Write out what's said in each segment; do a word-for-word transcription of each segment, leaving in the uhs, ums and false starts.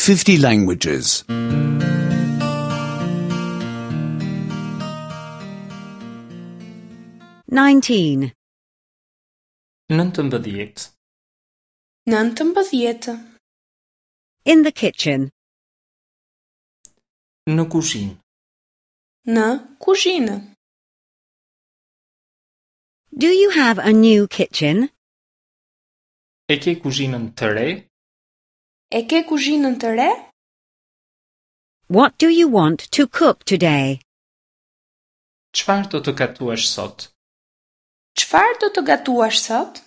fifty languages. nineteen. Nëntëmbëdhjetë. Nëntëmbëdhjetë. In the kitchen. Në kuzhinë. Në kuzhinë. Do you have a new kitchen? E ke kuzhinën të re? E ke kuzhinën të re? What do you want to cook today? Çfarë do të gatuash sot? Çfarë do të gatuash sot?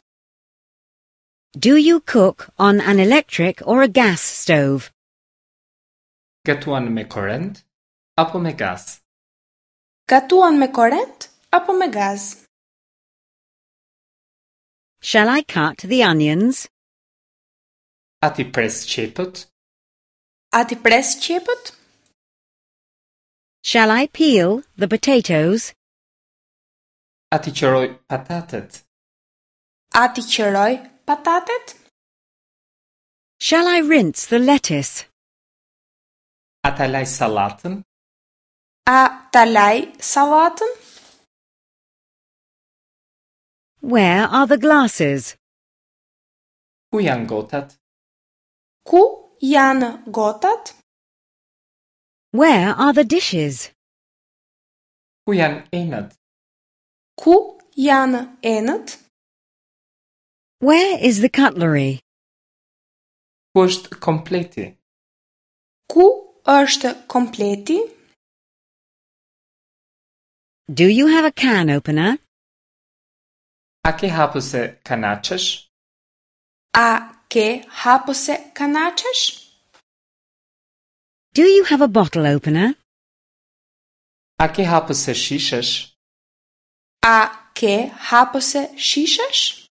Do you cook on an electric or a gas stove? Gatuan me korrent apo me gaz? Gatuan me korrent apo me gaz? Shall I cut the onions? A t'i pres qepët? A t'i pres qepët? Shall I peel the potatoes? A t'i qëroj patatet? A t'i qëroj patatet? Shall I rinse the lettuce? A ta laj sallatën? A ta laj sallatën? Where are the glasses? Ku janë gotat? Ku janë gotat? Where are the dishes? Ku janë enët? Ku janë enët? Where is the cutlery? Ku është kompleti? Ku është kompleti? Do you have a can opener? A ke hapëse kanaçesh? A ke hapëse kanaçesh? Do you have a bottle opener? A ke hapëse shishesh? A ke hapëse shishesh?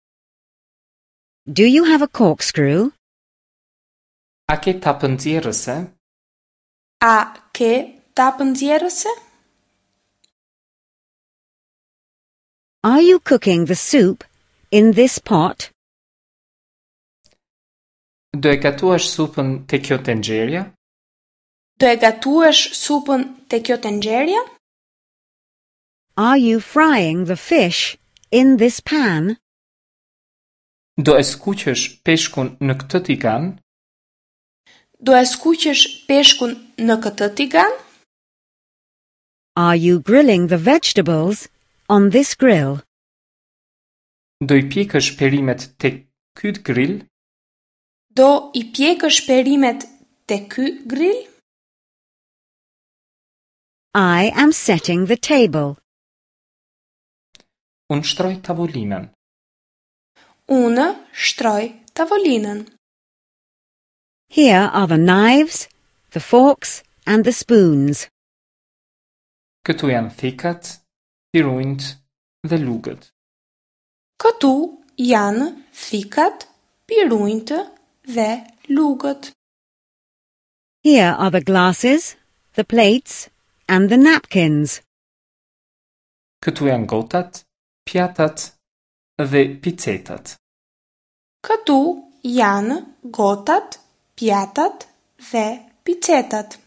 Do you have a corkscrew? A ke tapë nxjerrëse? A ke tapë nxjerrëse? Are you cooking the soup in this pot? Do e gatuash supën te kjo tenxherja? Do e gatuash supën te kjo tenxherja? Are you frying the fish in this pan? Do e skuqësh peshkun në këtë tigan? Do e skuqësh peshkun në këtë tigan? Are you grilling the vegetables on this grill? Do i pjekësh perimet te ky grill? Do i pjekësh perimet te ky grill? I am setting the table. Unë shtroj tavolinën. Unë shtroj tavolinën. Here are the knives, the forks, and the spoons. Këtu janë thikat, pirunjt dhe lugët. Këtu janë thikat, pirunjtë dhe lugët. Here are the glasses, the plates, and the napkins. Këtu janë gotat, pjatat dhe picetat. Këtu janë gotat, pjatat dhe picetat.